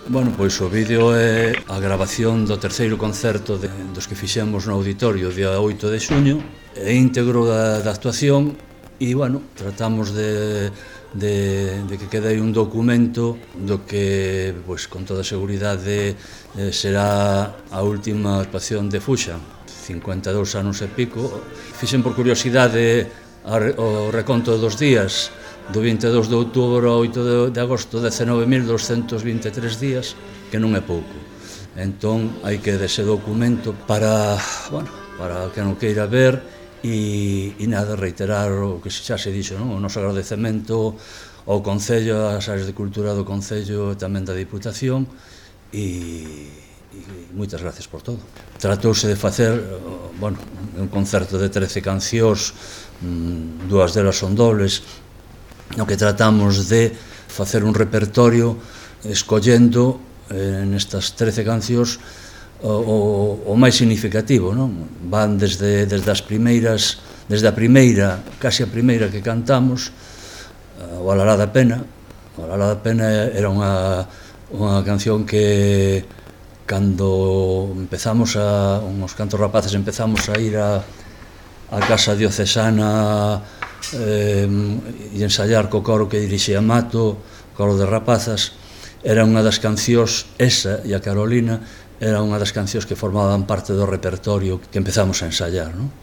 Bueno, pois o vídeo é a grabación do terceiro concerto dos que fixemos no auditorio o día 8 de xuño, é íntegro da actuación e, bueno, tratamos de que quede aí un documento do que, pois, con toda seguridade será a última actuación de Fuxa, 52 anos e pico. Fixen por curiosidade o reconto dos días, do 22 de outubro ao 8 de agosto, 19.223 días, que non é pouco. Entón, hai que dese documento para que non queira ver e nada, reiterar o que xa se dixo, non? O noso agradecemento ao Concello, ás áreas de cultura do Concello e tamén da Diputación e moitas gracias por todo. Tratouse de facer, un concerto de 13 cancións, dúas delas son dobles, no que tratamos de facer un repertorio escollendo nestas 13 cancións o máis significativo, non? Van desde a primeira, casi a primeira que cantamos, o Alalá da Pena. O Alalá da Pena era unha canción que cando empezamos uns cantos rapaces empezamos a ir a casa diocesana e ensaiar co coro que dirixía Mato, coro de rapazas, era unha das cancións, esa e a Carolina, era unha das cancións que formaban parte do repertorio que empezamos a ensaiar, non?